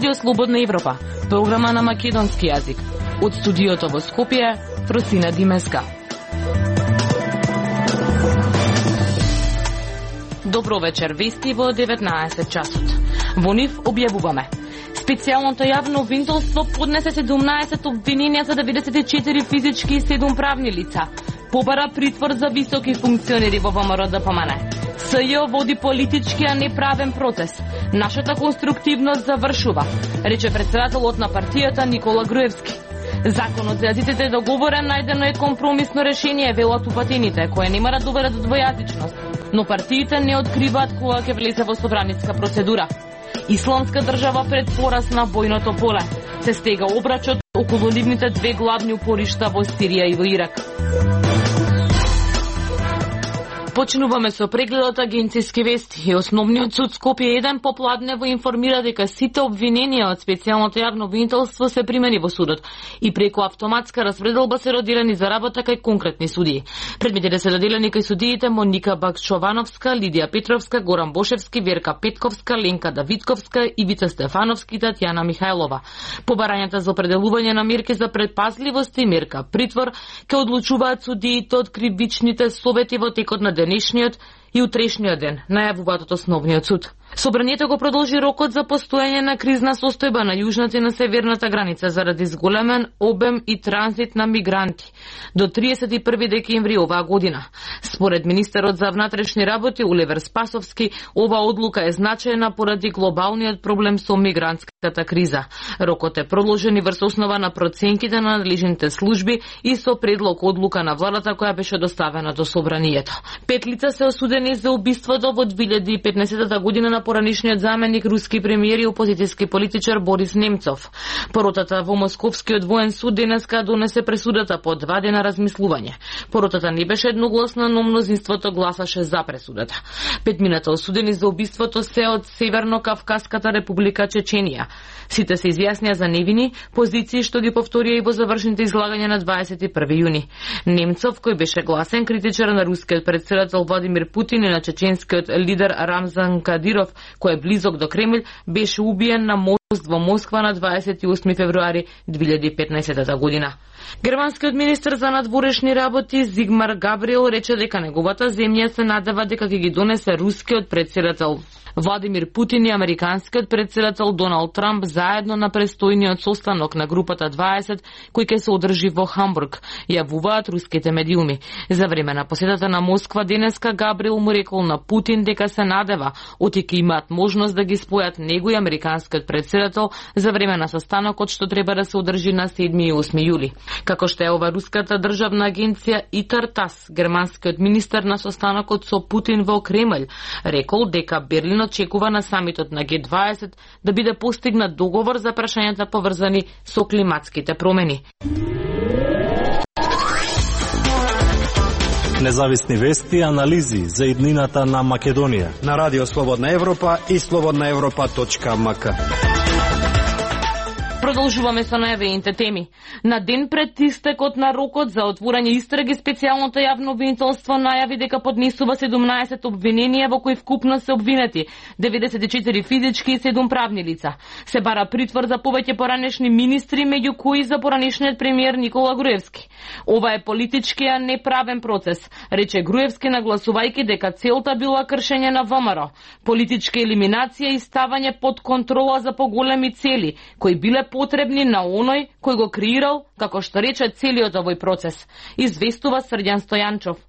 Радио Слободна Европа, програма на македонски јазик. Од студиото во Скопје, Фросина Димеска. Добро вечер, вести во 19 часот. Во нив објавуваме. Специјалното јавно обвинителство поднесе 17 обвиненија за 94 физички и 7 правни лица. Побара притвор за високи функционери во ВМРО ДПМН. СЈ води политички, а не правен процес. Нашата конструктивност завршува, рече председателот на партијата Никола Груевски. Законот за јазиците е договорен, најдено е компромисно решение, велат упатените, кое нема да доведе до двојазичност, но партиите не откриваат кога ќе влезе во собраниска процедура. Исламска држава пред пораз на бојното поле. Се стега обрачот околу нивните две главни упоришта во Сирија и во Ирак. Почнуваме со прегледот агенцијски вести. Основниот суд Скопје 1 попладнево информира дека сите обвиненија од специјалното јавно обвинителство се примени во судот и преку автоматска распределба се доделени за работа кај конкретни судии. Предметите се доделени кај судиите Моника Бакчовановска, Лидија Петровска, Горан Бошевски, Верка Петковска, Ленка Давидковска, Ивица Стефановски и Татјана Михајлова. Побарањата за определување на мерки за предпазливост и мерка притвор ќе одлучуваат судиите од кривичните совети во текот на денешниот и утрешниот ден, најавуваат од основниот суд. Собранието го продолжи рокот за постоење на кризна состојба на јужната и на северната граница заради зголемен обем и транзит на мигранти до 31 декември оваа година. Според министерот за внатрешни работи Оливер Спасовски, оваа одлука е значајна поради глобалниот проблем со мигрантската криза. Рокот е продолжен и врз основа на проценките на надлежните служби и со предлог одлука на владата која беше доставена до собранието. 5 лица се осудени за убиството во 2015 година на поранишниот заменик руски премиер и опозицијски политичар Борис Немцов. Поротата во Московскиот воен суд денеска донесе пресудата по 2 дена размислување. Поротата не беше едногласна, но мнозинството гласаше за пресудата. 5 осудени за убиството се од Северно-Кавказската република Чеченија. Сите се изјаснија за невини, позиции што ги повторија и во завршните излагања на 21 јуни. Немцов, кој беше гласен критичар на рускиот председател Владимир Путин и на чеченскиот лидер Рамзан Кадиров, кој е близок до Кремљ, беше убиен на мост во Москва на 28 февруари 2015 година. Германскиот министер за надворешни работи Зигмар Габриел рече дека неговата земја се надева дека ќе ги донесе рускиот председател Владимир Путин и американскиот председател Доналд Трамп заедно на престојниот состанок на групата 20 кој ќе се одржи во Хамбург, јавуваат руските медиуми. За време на посетата на Москва денеска Габриел му рекол на Путин дека се надева оти имаат можност да ги спојат него и американскиот председател за време на состанокот што треба да се одржи на 7 и 8 јули. Како што е ова руската државна агенција ИТАР-ТАСС, германскиот министер на состанокот со Путин во Кремљ рекол дека Берлин очекува на самитот на Г20 да биде постигнат договор за прашањата поврзани со климатските промени. Независни вести и анализи за иднината на Македонија на Радио Слободна Европа и slobodnaevropa.mk. Продолжуваме со најавените теми. На ден пред истекот на рокот за отворање истраги, специјалното јавно обвинителство најави дека поднесува 17 обвиненија во кои вкупно се обвинети 94 физички и 7 правни лица. Се бара притвор за повеќе поранешни министри, меѓу кои за поранешниот премиер Никола Груевски. Ова е политички, а не правен процес, рече Груевски, нагласувајќи дека целта била кршење на ВМРО, политичка елиминација и ставање под контрола за поголеми цели, кои биле потребни на оној кој го креирал, како што рече, целиот овој процес. Известува Срđan Стојанчов.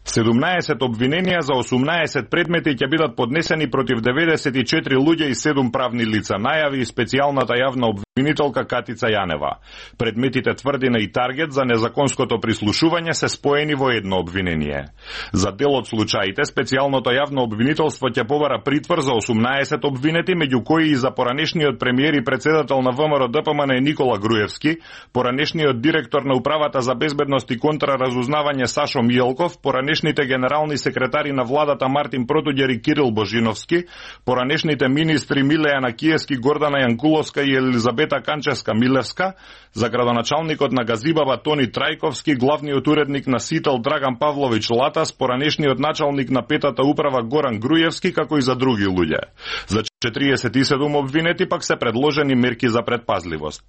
17 обвиненија за 18 предмети ќе бидат поднесени против 94 луѓе и 7 правни лица, најави специјалната јавна обвинителка Катица Јанева. Предметите тврдина и таргет за незаконското прислушување се споени во едно обвинение. За дел од случаите, специјалното јавно обвинителство ќе побара притвор за 18 обвинети, меѓу кои и за поранешниот премиер и председател на ВМРО ДПМН Никола Груевски, поранешниот директор на Управата за безбедност и контраразузнавање Сашо Мијелков, поранешните генерални секретари на владата Мартин Протуѓер и Кирил Божиновски, поранешните министри Милеја Накиевски, Гордана Јанкуловска и Елизабета Елизабета Канчевска-Милевска, за градоначалникот на Газибаба Тони Трајковски, главниот уредник на Сител Драган Павлович Латас, поранешниот началник на петата управа Горан Груевски, како и за други луѓе. За 47 обвинети пак се предложени мерки за предпазливост.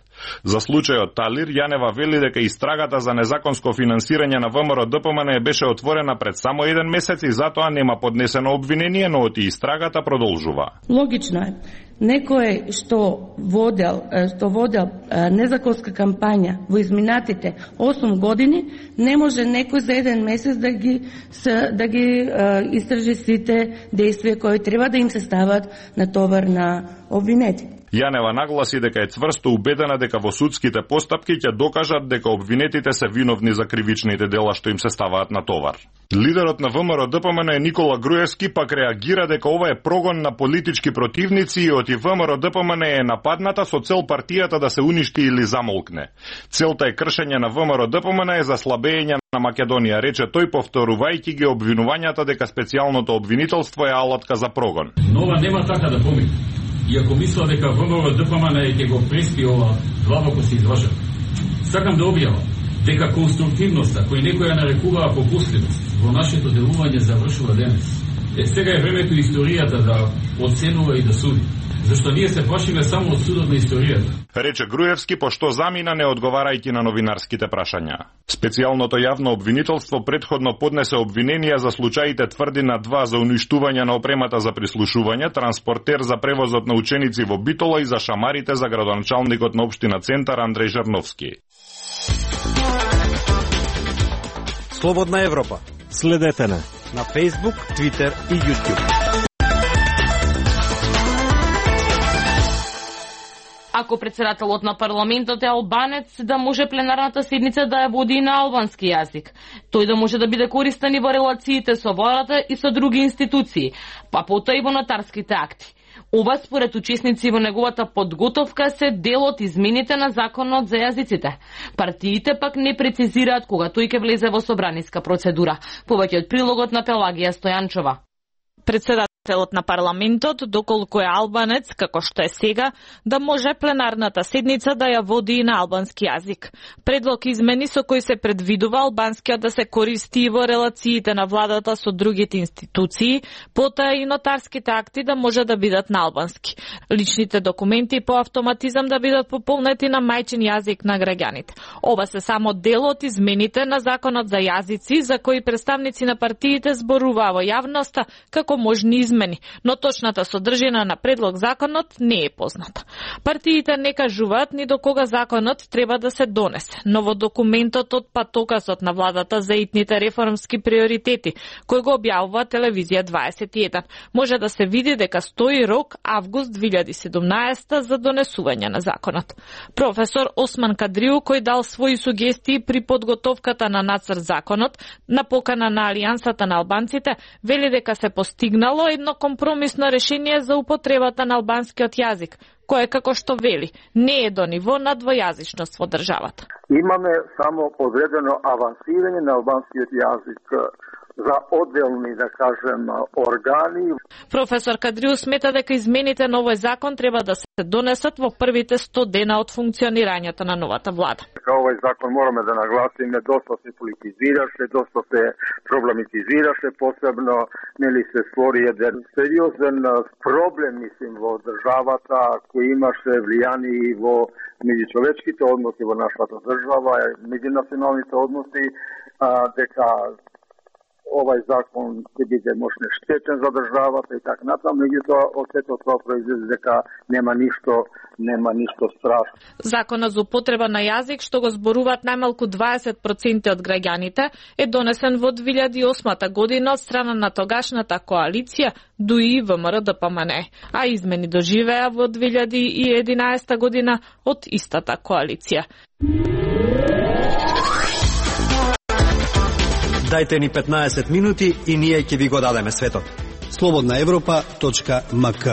За случајот Талир, Јанева вели дека истрагата за незаконско финансирање на ВМРО-ДПМН беше отворена пред само 1 месец и затоа нема поднесено обвинение, но оти истрагата продолжува. Логично е. Некој што водел незаконска кампања во изминатите 8 години, не може некој за 1 месец да ги истражи сите действија кои треба да им се стават на товар на обвинети. Јанева нагласи дека е цврсто убедена дека во судските постапки ќе докажат дека обвинетите се виновни за кривичните дела што им се ставаат на товар. Лидерот на ВМРО-ДПМН Никола Груевски пак реагира дека ова е прогон на политички противници и оти ВМРО-ДПМН е нападната со цел партијата да се уништи или замолкне. Целта е кршење на ВМРО-ДПМН е за слабење на Македонија, рече тој, повторувајќи ги обвинувањата дека специјалното обвинителство е алатка за прогон. Нова нема така да помисли. Иако мисла дека ВМРО-ДПМН ќе го преспи ова, длабоко се излажа. Сакам да објавам дека конструктивноста, кој некоја нарекуваа попустливост, во нашето делување завршува денес. Сега е времето историјата да оценува и да суди. Зашто ние се плашиме само од судот на историјата. Рече Груевски, пошто замина не одговарајќи на новинарските прашања. Специјалното јавно обвинителство претходно поднесе обвиненија за случаите Тврдина 2 за уништување на опремата за прислушување, транспортер за превозот на ученици во Битола и за шамарите за градоначалникот на општина Центар Андреј Жерновски. Слободна Европа. Следете на Facebook, Twitter и YouTube. Ако председателот на парламентот е албанец, да може пленарната седница да ја води на албански јазик. Тој да може да биде користен и во релациите со владата и со други институции, па потоа и во нотарските акти. Ова според учесници во неговата подготовка се дел од измените на законот за јазиците. Партиите пак не прецизираат кога тој ќе влезе во собраниска процедура. Повеќе од прилогот на Пелагија Стојанчова. Председателот на парламентот, доколку е албанец, како што е сега, да може пленарната седница да ја води и на албански јазик. Предлог измени со кој се предвидува албанскиот да се користи и во релациите на владата со другите институции, потоа и нотарските акти да може да бидат на албански. Личните документи по автоматизам да бидат пополнети на мајчин јазик на граѓаните. Ова се само дел од измените на законот за јазици, за кои представници на партиите зборуваа во јавноста како можни измени, но точната содржина на предлог законот не е позната. Партиите не кажуваат ни до кога законот треба да се донесе, но во документот од патокасот на владата за итните реформски приоритети, кој го објавува Телевизија 21, може да се види дека стои рок август 2017 за донесување на законот. Професор Осман Кадриу, кој дал своји сугестии при подготовката на нацрт законот, на покана на Алијансата на албанците, вели дека се постигнало едно компромисно решение за употребата на албанскиот јазик, кое, како што вели, не е до ниво на двојазичност во државата. Имаме само одредено авансирање на албанскиот јазик за одделни, да кажем, органи. Професор Кадриу смета дека измените на овој закон треба да се донесат во првите 100 дена од функционирањето на новата влада. Овој закон мораме да нагласиме, доста се политизираше, доста се проблематизираше, посебно нели се створи еден сериозен проблем, мислим, во државата, кој имаше влијание и во меѓучовечките односи во нашата држава, меѓунационалните односи, дека овај закон ќе биде можне штетен за државата и така натаму, меѓутоа од сето тоа произлезе дека нема ништо страшно. Законот за употреба на јазик, што го зборуваат најмалку 20% од граѓаните, е донесен во 2008 година од страна на тогашната коалиција ДУИ ВМРО-ДПМН, а измени доживеа во 2011 година од истата коалиција. Дајте ни 15 минути и ние ќе ви го дадеме светот. Слободна Европа.мк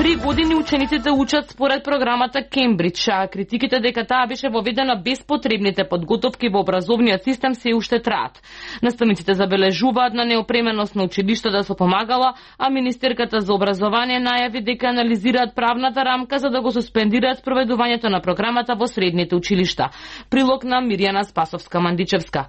3 години учениците учат според програмата Кембридж, а критиките дека таа беше воведена без потребните подготовки во образовниот систем се уште траат. Наставниците забележуваат на неопременост на училиштата со помагала, а министерката за образование најави дека анализираат правната рамка за да го суспендираат спроведувањето на програмата во средните училишта. Прилог на Мирјана Спасовска-Мандичевска.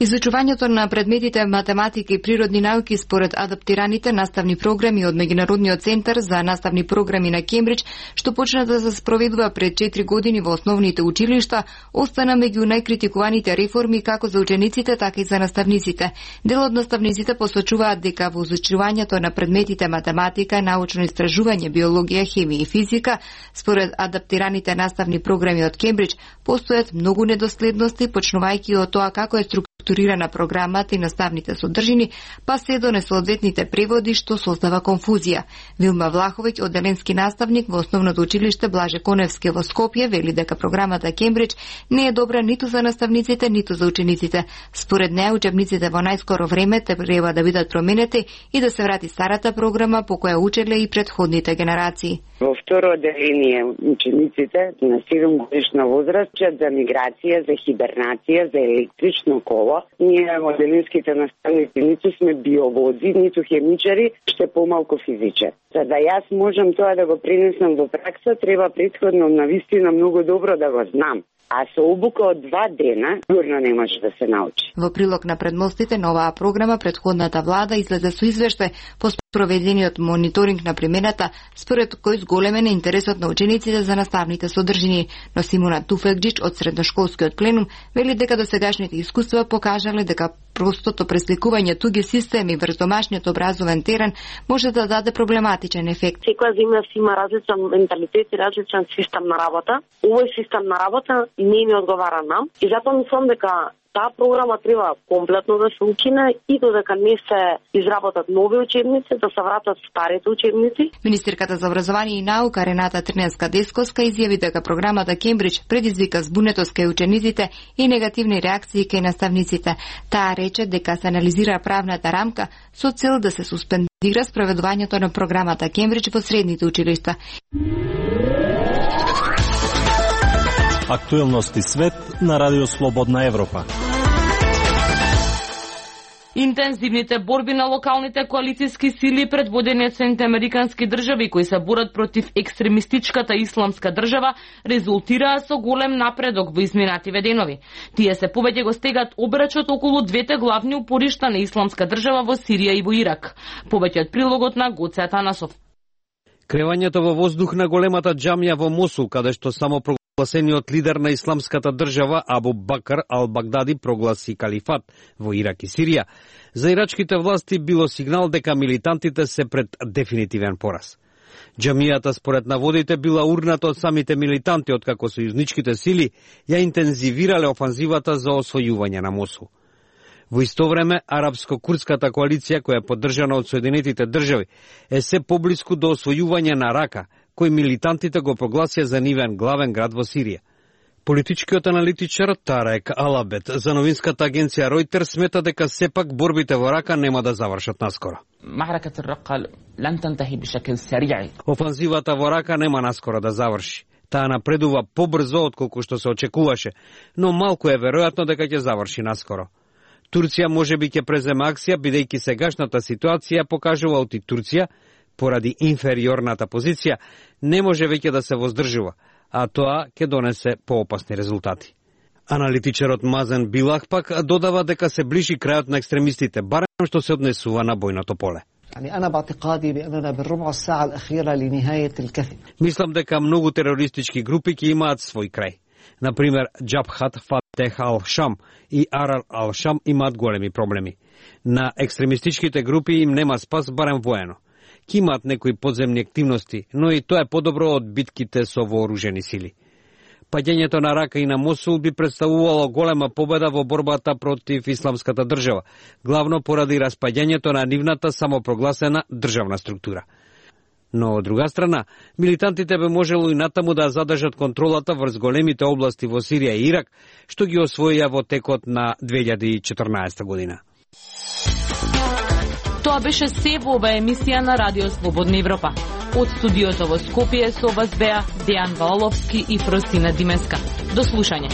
Изучувањето на предметите математика и природни науки според адаптираните наставни програми од Меѓународниот центар за наставни програми на Кембридж, што почна да се спроведува пред 4 години во основните училишта, остана меѓу најкритикуваните реформи како за учениците, така и за наставниците. Дел од наставниците посочуваат дека во изучувањето на предметите математика, научно истражување, биологија, хемија и физика, според адаптираните наставни програми од Кембридж, постојат многу недоследности, почнувајќи од тоа како е структурирана програмата и наставните содржини, па се до несоодветните преводи што создава конфузија. Вилма Влаховиќ, одделенски наставник во основното училиште Блаже Коневски во Скопје, вели дека програмата Кембридж не е добра ниту за наставниците, ниту за учениците. Според неа, учебниците во најскоро време треба да бидат променети и да се врати старата програма по која учеле и предходните генерации. Во второ одделение учениците на 7 годишна возраст учат за миграција, за хибернација, за електрично коло. Ние моделинските наставници ниту сме биолози, ниту хемичари, ше помалку физичари. За да јас можам тоа да го пренесам во пракса, треба претходно навистина многу добро да го знам. А со обука од 2 дена, сигурно не може да се научи. Во прилог на предмостите на оваа програма, предходната влада излезе со извештај по спроведениот мониторинг на примената, според кој зголемен е интересот на учениците за наставните содржини. Но Симона Туфекџич од средношколскиот пленум вели дека досегашните искуства покажале дека простото пресликување туги системи врз домашниот образовен терен може да даде проблематичен ефект. Секоја земја си има различен менталитет и различен систем на работа. Овој систем на работа не ми одговара нам и затоа мислам дека таа програма треба комплетно да се укине и додека не се изработат нови учебници, да се вратат старите учебници. Министерката за образование и наука Рената Трневска-Десковска изјави дека програмата Кембридж предизвика збунетост кај учениците и негативни реакции кај наставниците. Таа рече дека се анализира правната рамка со цел да се суспендира спроведувањето на програмата Кембридж во средните училишта. Актуелности свет на Радио Слободна Европа. Интензивните борби на локалните коалицијски сили предводени од Соединените американски држави кои се борат против екстремистичката исламска држава резултираа со голем напредок во изминативе денови. Тие се повеќе го стегат обрачот околу двете главни упоришта на исламска држава во Сирија и во Ирак. Повеќе од прилогот на Гоце Атанасов. Кревањето во воздух на големата џамија во Мосул, каде што само прогласениот лидер на исламската држава Абу Бакр ал-Багдади прогласи калифат во Ирак и Сирија, за ирачките власти било сигнал дека милитантите се пред дефинитивен пораз. Џамијата според наводите била урната од самите милитанти, откако сојузничките сили ја интензивирале офанзивата за освојување на Мосул. Во исто време, арапско-курдската коалиција, која е поддржана од Соединетите држави, е се поблиску до освојување на Рака, кој милитантите го прогласија за нивен главен град во Сирија. Политичкиот аналитичар Тарек Алабет за новинската агенција Ройтер смета дека сепак борбите во Рака нема да завршат наскоро. Офанзивата во Рака нема наскоро да заврши. Таа напредува побрзо отколку што се очекуваше, но малку е веројатно дека ќе заврши наскоро. Турција можеби ќе преземе акција, бидејќи сегашната ситуација покажува оти Турција, поради инфериорната позиција, не може веќе да се воздржува, а тоа ќе донесе поопасни резултати. Аналитичарот Мазен Билах пак додава дека се ближи крајот на екстремистите, барем што се однесува на бојното поле. Мислам дека многу терористички групи ќе имаат свој крај. Например, Џабхат Фатех ал-Шам и Арар ал-Шам имаат големи проблеми. На екстремистичките групи им нема спас барем воено. Ки имаат некои подземни активности, но и тоа е подобро од битките со вооружени сили. Паѓањето на Рака и на Мосул би представувало голема победа во борбата против исламската држава, главно поради распаѓањето на нивната самопрогласена државна структура. Но од друга страна, милитантите би можело и натаму да задржат контролата врз големите области во Сирија и Ирак, што ги освоија во текот на 2014 година. Тоа беше се во оваа емисија на Радио Слободна Европа. Од студиото во Скопје со вас беа Дејан Валовски и Фросина Димеска. До слушање.